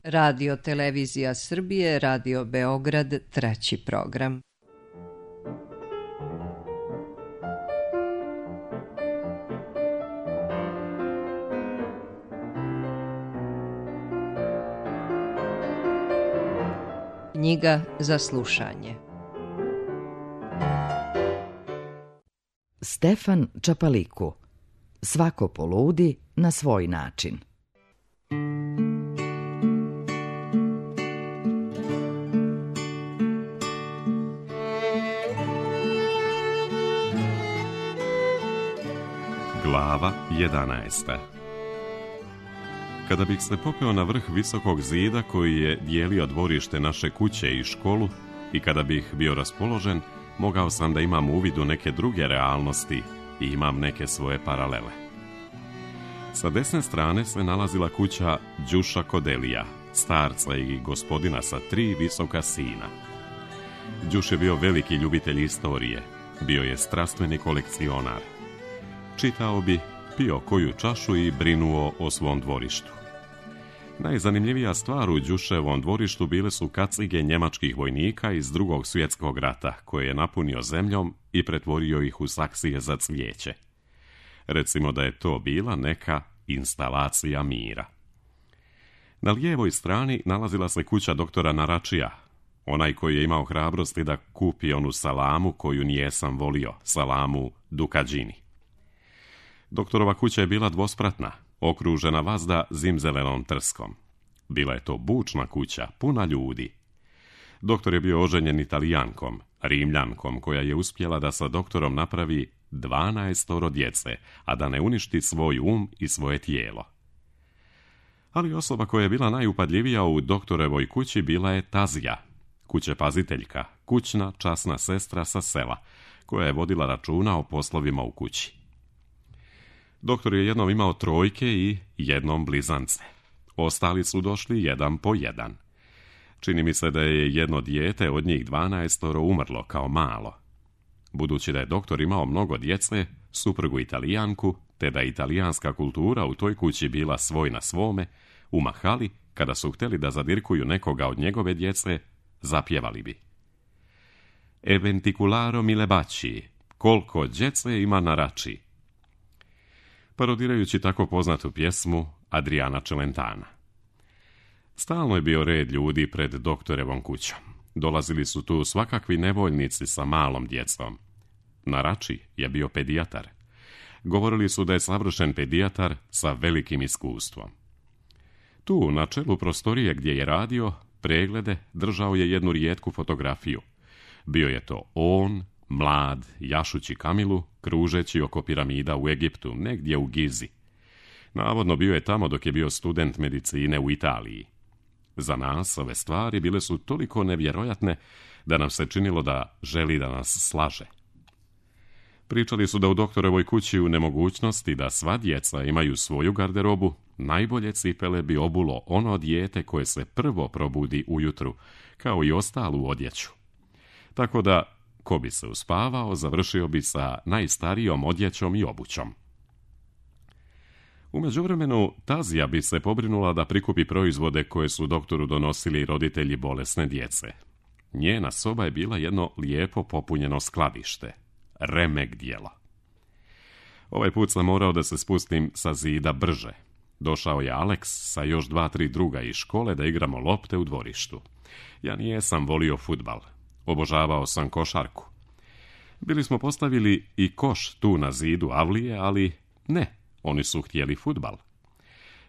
Radio Televizija Srbije, Radio Beograd, 3. program. Knjiga za slušanje. Stefan Čapaliku. Svako poludi na svoj način. Glava 11. Kada bih se popeo na vrh visokog zida koji je dijelio dvorište naše kuće i školu i kada bih bio raspoložen, mogao sam da imam uvid u neke druge realnosti i imam neke svoje paralele. Sa desne strane se nalazila kuća Đuša Kodelija, starca i gospodina sa 3 visoka sina. Đuš je bio veliki ljubitelj istorije, bio je strastveni kolekcionar. Čitao bi, pio koju čašu i brinuo o svom dvorištu. Najzanimljivija stvar u Đuševom dvorištu bile su kacige njemačkih vojnika iz Drugog svjetskog rata, koje je napunio zemljom i pretvorio ih u saksije za cvijeće. Recimo da je to bila neka instalacija mira. Na lijevoj strani nalazila se kuća doktora Naračija, onaj koji je imao hrabrosti da kupi onu salamu koju nijesam volio, salamu Dukadžini. Doktorova kuća je bila dvospratna, okružena vazda zimzelenom trskom. Bila je to bučna kuća, puna ljudi. Doktor je bio oženjen Italijankom, Rimljankom, koja je uspjela da sa doktorom napravi 12 djece, a da ne uništi svoj i svoje tijelo. Ali osoba koja je bila najupadljivija u doktorevoj kući bila je Tazija, kućepaziteljka, kućna časna sestra sa sela, koja je vodila računa o poslovima u kući. Doktor je jednom imao 3 i jednom blizance. Ostali su došli jedan po jedan. Čini mi se da je jedno dijete od njih 12 umrlo kao malo. Budući da je doktor imao mnogo djece, suprugu Italijanku, te da je italijanska kultura u toj kući bila svoj na svome, u mahali, kada su htjeli da zadirkuju nekoga od njegove djece, zapjevali bi: E venticularo mille baci, koliko djece ima Narači, parodirajući tako poznatu pjesmu Adriana Celentana. Stalno je bio red ljudi pred doktorevom kućom. Dolazili su tu svakakvi nevoljnici sa malom djecom. Narači je bio pedijatar. Govorili su da je savršen pedijatar sa velikim iskustvom. Tu, na čelu prostorije gdje je radio preglede, držao je jednu rijetku fotografiju. Bio je to on, mlad, jašući kamilu, kružeći oko piramida u Egiptu, negdje u Gizi. Navodno bio je tamo dok je bio student medicine u Italiji. Za nas ove stvari bile su toliko nevjerojatne da nam se činilo da želi da nas slaže. Pričali su da u doktorovoj kući u nemogućnosti da sva djeca imaju svoju garderobu, najbolje cipele bi obulo ono dijete koje se prvo probudi ujutru, kao i ostalu odjeću. Tako da, ko bi se uspavao, završio bi sa najstarijom odjećom i obućom. U međuvremenu, Tazija bi se pobrinula da prikupi proizvode koje su doktoru donosili roditelji bolesne djece. Njena soba je bila jedno lijepo popunjeno skladište. Remek djela. Ovaj put sam morao da se spustim sa zida brže. Došao je Alex sa još 2-3 druga iz škole da igramo lopte u dvorištu. Ja nijesam volio fudbal. Obožavao sam košarku. Bili smo postavili i koš tu na zidu avlije, ali ne, oni su htjeli fudbal.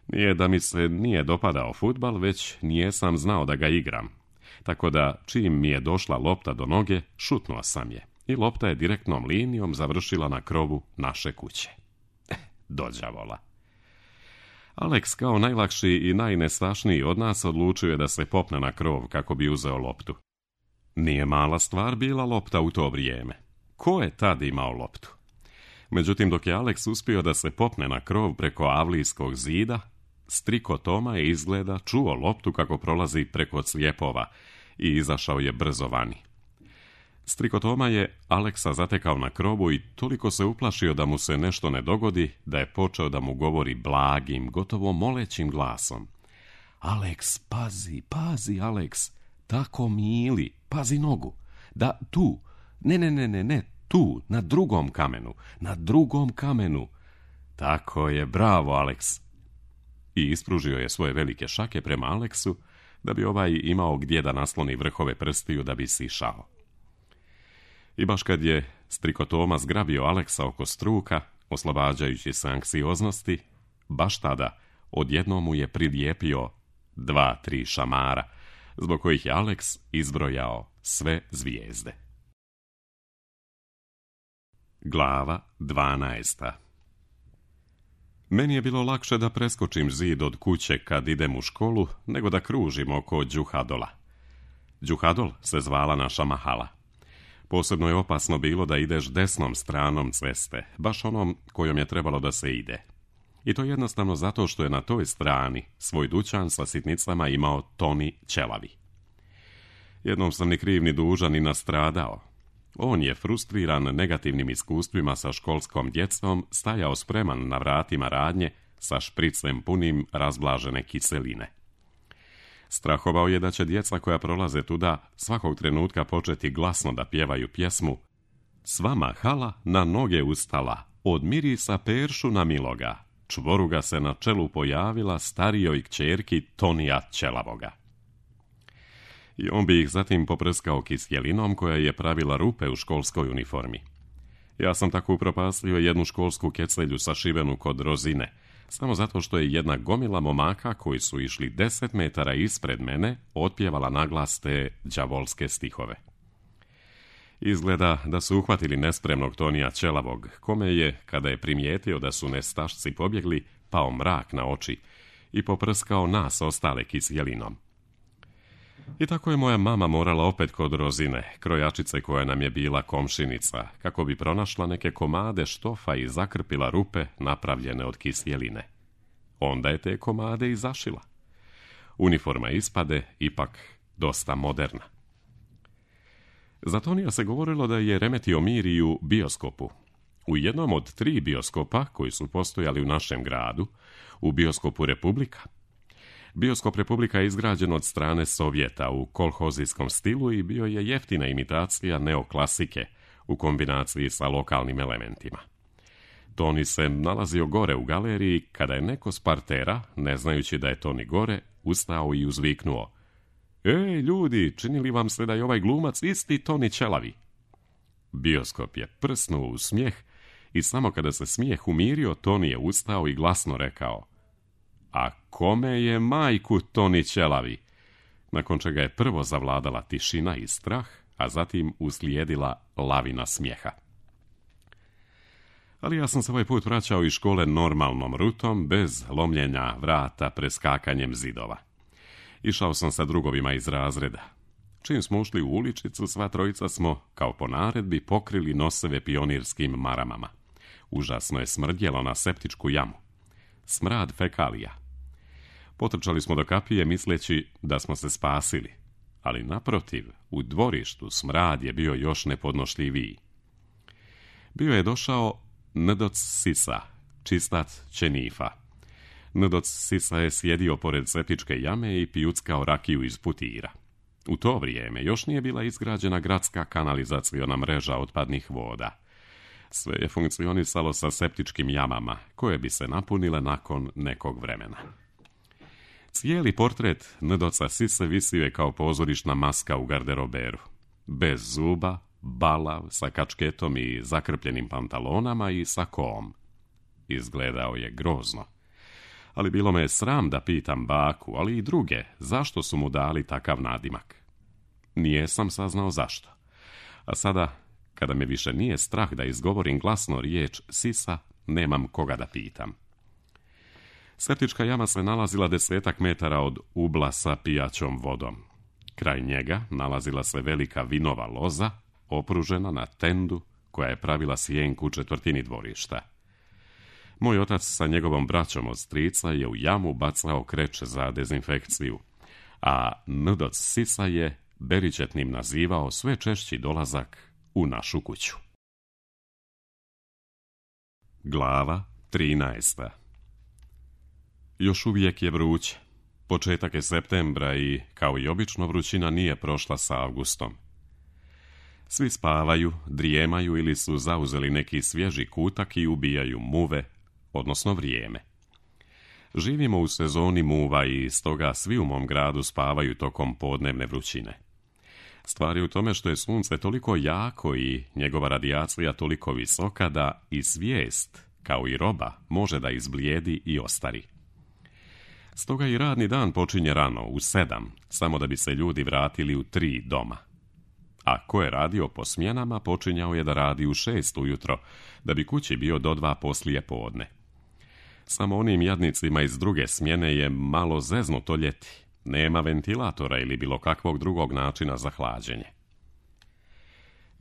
Nije da mi se nije dopadao fudbal, već nijesam znao da ga igram. Tako da, čim mi je došla lopta do noge, šutnuo sam je. I lopta je direktnom linijom završila na krovu naše kuće. Dođavola. Alex, kao najlakši i najnestašniji od nas, odlučio je da se popne na krov kako bi uzeo loptu. Nije mala stvar bila lopta u to vrijeme. Ko je tad imao loptu? Međutim, dok je Alex uspio da se popne na krov preko avlijskog zida, striko Toma je izgleda čuo loptu kako prolazi preko clijepova i izašao je brzo vani. Striko Toma je Aleksa zatekao na krovu i toliko se uplašio da mu se nešto ne dogodi, da je počeo da mu govori blagim, gotovo molećim glasom. Aleks, pazi, Aleks, tako mili, pazi nogu. Da, tu, ne, tu, na drugom kamenu. Tako je, bravo, Aleks. I ispružio je svoje velike šake prema Aleksu, da bi ovaj imao gdje da nasloni vrhove prstiju da bi sišao. I baš kad je strikotoma zgrabio Aleksa oko struka, oslobađajući se anksioznosti, baš tada odjednom mu je prilijepio 2-3 šamara, zbog kojih je Aleks izbrojao sve zvijezde. Glava 12. Meni je bilo lakše da preskočim zid od kuće kad idem u školu, nego da kružim oko Đuhadola. Đuhadol se zvala naša mahala. Posebno je opasno bilo da ideš desnom stranom ceste, baš onom kojom je trebalo da se ide. I to jednostavno zato što je na toj strani svoj dućan sa sitnicama imao Toni Ćelavi. Jednom sam ni kriv ni dužan ni nastradao. On je, frustriran negativnim iskustvima sa školskom djecom, stajao spreman na vratima radnje sa špricem punim razblažene kiseline. Strahovao je da će djeca koja prolaze tuda svakog trenutka početi glasno da pjevaju pjesmu "Sva mahala na noge ustala, od mirisa peršu na miloga, čvoruga se na čelu pojavila starijoj kćerki Tonija Ćelavoga." I on bi ih zatim poprskao kisjelinom koja je pravila rupe u školskoj uniformi. Ja sam tako upropastio jednu školsku kecelju sašivenu kod rozine, samo zato što je jedna gomila momaka koji su išli 10 metara ispred mene otpjevala naglas te đavolske stihove. Izgleda da su uhvatili nespremnog Tonija Ćelavog, kome je, kada je primijetio da su nestašci pobjegli, pao mrak na oči i poprskao nas ostale kisjelinom. I tako je moja mama morala opet kod rozine, krojačice koja nam je bila komšinica, kako bi pronašla neke komade štofa i zakrpila rupe napravljene od kisjeline. Onda je te komade i zašila. Uniforma ispade ipak dosta moderna. Za Tonija se govorilo da je remetio mir i u bioskopu. U jednom od 3 bioskopa koji su postojali u našem gradu, u bioskopu Republika. Bioskop Republika je izgrađen od strane Sovjeta u kolhozijskom stilu i bio je jeftina imitacija neoklasike u kombinaciji sa lokalnim elementima. Toni se nalazio gore u galeriji kada je neko s partera, ne znajući da je Toni gore, ustao i uzviknuo: "Ej, ljudi, čini li vam se da je ovaj glumac isti Toni Ćelavi?" Bioskop je prsnuo u smijeh i samo kada se smijeh umirio, Toni je ustao i glasno rekao: "A kome je majku Toni Ćelavi?" Nakon čega je prvo zavladala tišina i strah, a zatim uslijedila lavina smijeha. Ali ja sam se ovaj put vraćao iz škole normalnom rutom, bez lomljenja vrata preskakanjem zidova. Išao sam sa drugovima iz razreda. Čim smo ušli u uličicu, sva trojica smo, kao po naredbi, pokrili noseve pionirskim maramama. Užasno je smrdjelo na septičku jamu. Smrad fekalija. Potrčali smo do kapije misleći da smo se spasili, ali naprotiv, u dvorištu smrad je bio još nepodnošljiviji. Bio je došao Ndoc Sisa, čistat Čenifa. Ndoc Sisa je sjedio pored septičke jame i pijuckao rakiju iz putira. U to vrijeme još nije bila izgrađena gradska kanalizaciona mreža otpadnih voda. Sve je funkcionisalo sa septičkim jamama, koje bi se napunile nakon nekog vremena. Cijeli portret Ndoca Sise visio je kao pozorišna maska u garderoberu. Bez zuba, balav, sa kačketom i zakrpljenim pantalonama i sa koom. Izgledao je grozno. Ali bilo me sram da pitam baku, ali i druge, zašto su mu dali takav nadimak. Nijesam saznao zašto. A sada, kada me više nije strah da izgovorim glasno riječ Sisa, nemam koga da pitam. Septička jama se nalazila 10 metara od ubla sa pijaćom vodom. Kraj njega nalazila se velika vinova loza, opružena na tendu koja je pravila sjenku u četvrtini dvorišta. Moj otac sa njegovom braćom od strica je u jamu bacao kreče za dezinfekciju, a Ndoc Sisa je beričetnim nazivao sve češći dolazak u našu kuću. Glava 13. Još uvijek je vruće. Početak je septembra i, kao i obično, vrućina nije prošla sa avgustom. Svi spavaju, drijemaju ili su zauzeli neki svježi kutak i ubijaju muve, odnosno vrijeme. Živimo u sezoni muva i stoga svi u mom gradu spavaju tokom podnevne vrućine. Stvar je u tome što je sunce toliko jako i njegova radijacija toliko visoka da i svijest, kao i roba, može da izblijedi i ostari. Stoga i radni dan počinje rano, u 7, samo da bi se ljudi vratili u 3 doma. A ko je radio po smjenama, počinjao je da radi u 6 ujutro, da bi kući bio do 2 poslije podne. Samo onim jadnicima iz druge smjene je malo zeznuto ljeti. Nema ventilatora ili bilo kakvog drugog načina za hlađenje.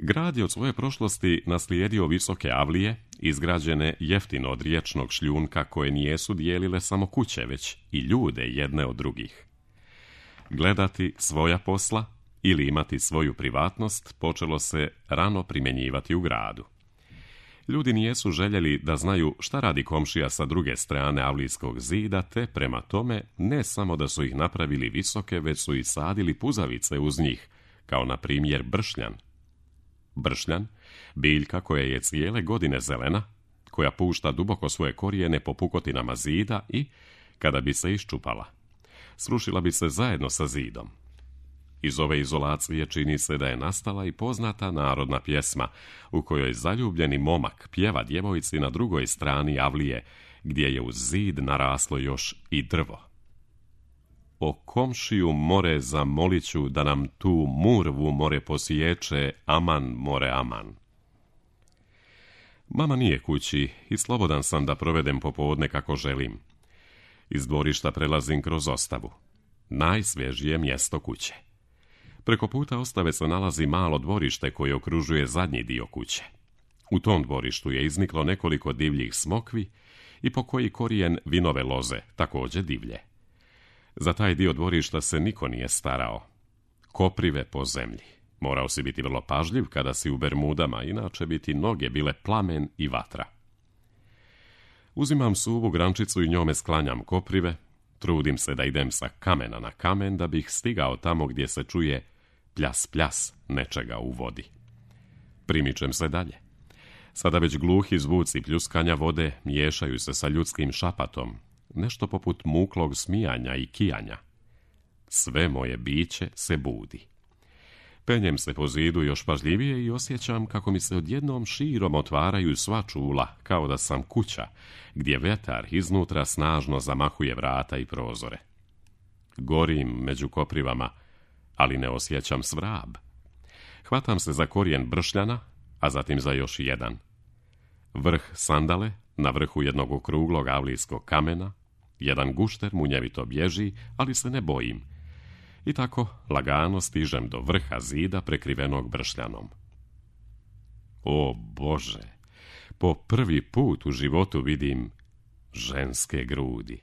Grad je od svoje prošlosti naslijedio visoke avlije, izgrađene jeftino od riječnog šljunka koje nijesu dijelile samo kuće, već i ljude jedne od drugih. Gledati svoja posla ili imati svoju privatnost počelo se rano primjenjivati u gradu. Ljudi nijesu željeli da znaju šta radi komšija sa druge strane avlijskog zida, te prema tome ne samo da su ih napravili visoke, već su i sadili puzavice uz njih, kao na primjer bršljan. Bršljan, biljka koja je cijele godine zelena, koja pušta duboko svoje korijene po pukotinama zida i, kada bi se iščupala, srušila bi se zajedno sa zidom. Iz ove izolacije čini se da je nastala i poznata narodna pjesma u kojoj zaljubljeni momak pjeva djevojci na drugoj strani avlije, gdje je uz zid naraslo još i drvo. O komšiju more zamoliću da nam tu murvu more posiječe, aman more aman. Mama nije kući i slobodan sam da provedem popodne kako želim. Iz dvorišta prelazim kroz ostavu. Najsvježije mjesto kuće. Preko puta ostave se nalazi malo dvorište koje okružuje zadnji dio kuće. U tom dvorištu je izniklo nekoliko divljih smokvi i po koji korijen vinove loze, također divlje. Za taj dio dvorišta se niko nije starao. Koprive po zemlji. Morao si biti vrlo pažljiv kada si u bermudama, inače bi ti noge bile plamen i vatra. Uzimam suvu grančicu i njome sklanjam koprive. Trudim se da idem sa kamena na kamen da bih stigao tamo gdje se čuje pljas pljas nečega u vodi. Primičem se dalje. Sada već gluhi zvuci pljuskanja vode miješaju se sa ljudskim šapatom, nešto poput muklog smijanja i kijanja. Sve moje biće se budi. Penjem se po zidu još pažljivije i osjećam kako mi se odjednom širom otvaraju sva čula, kao da sam kuća, gdje vetar iznutra snažno zamahuje vrata i prozore. Gorim među koprivama, ali ne osjećam svrab. Hvatam se za korijen bršljana, a zatim za još jedan. Vrh sandale, na vrhu jednog okruglog avlijskog kamena, jedan gušter munjevito bježi, ali se ne bojim. I tako lagano stižem do vrha zida prekrivenog bršljanom. O Bože, po prvi put u životu vidim ženske grudi.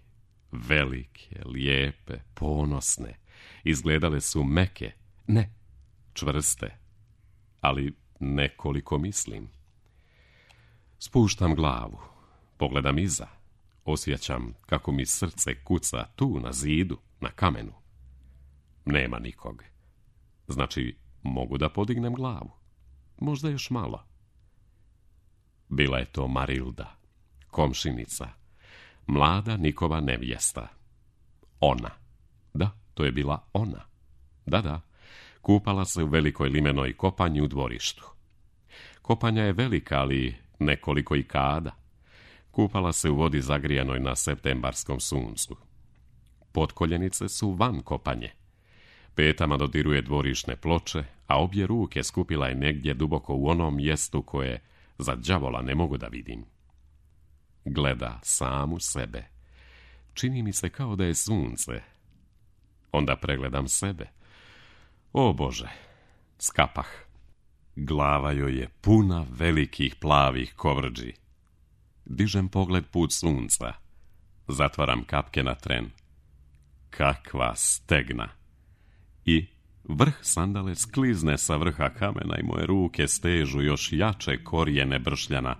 Velike, lijepe, ponosne. Izgledale su meke, ne, čvrste, ali nekoliko mislim. Spuštam glavu, pogledam iza, osjećam kako mi srce kuca tu na zidu, na kamenu. Nema nikog. Znači, mogu da podignem glavu. Možda još malo. Bila je to Marilda, komšinica, mlada Nikova nevjesta. Ona. Da, to je bila ona. Da, kupala se u velikoj limenoj kopanji u dvorištu. Kopanja je velika, ali nekoliko i kada. Kupala se u vodi zagrijanoj na septembarskom suncu. Potkoljenice su van kopanje. Petama dodiruje dvorišne ploče, a obje ruke skupila je negdje duboko u onom mjestu koje za đavola ne mogu da vidim. Gleda samu sebe. Čini mi se kao da je sunce. Onda pregledam sebe. O Bože, skapah. Glava joj je puna velikih plavih kovrđi. Dižem pogled put sunca. Zatvaram kapke na tren. Kakva stegna! I vrh sandale sklizne sa vrha kamena i moje ruke stežu još jače korijene bršljana,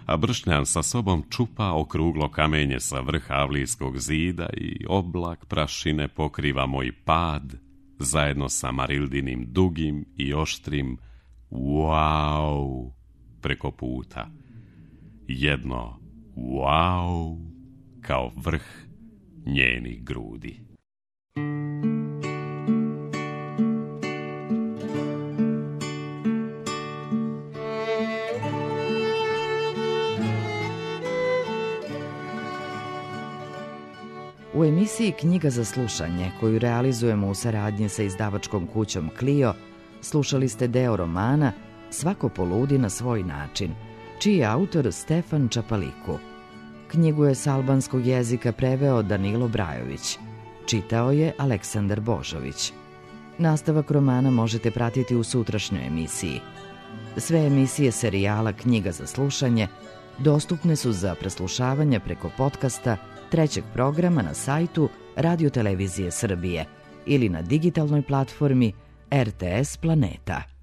a Bršnjan sa sobom čupa okruglo kamenje sa vrha Avlijskog zida i oblak prašine pokriva moj pad, zajedno sa Marildinim dugim i oštrim wow preko puta. Jedno wow kao vrh njenih grudi. U emisiji Knjiga za slušanje, koju realizujemo u saradnji sa izdavačkom kućom Clio, slušali ste deo romana Svako poludi na svoj način, čiji je autor Stefan Čapaliku. Knjigu je s albanskog jezika preveo Danilo Brajović. Čitao je Aleksandar Božović. Nastavak romana možete pratiti u sutrašnjoj emisiji. Sve emisije serijala Knjiga za slušanje dostupne su za preslušavanje preko podcasta trećeg programa na sajtu Radio Televizije Srbije ili na digitalnoj platformi RTS Planeta.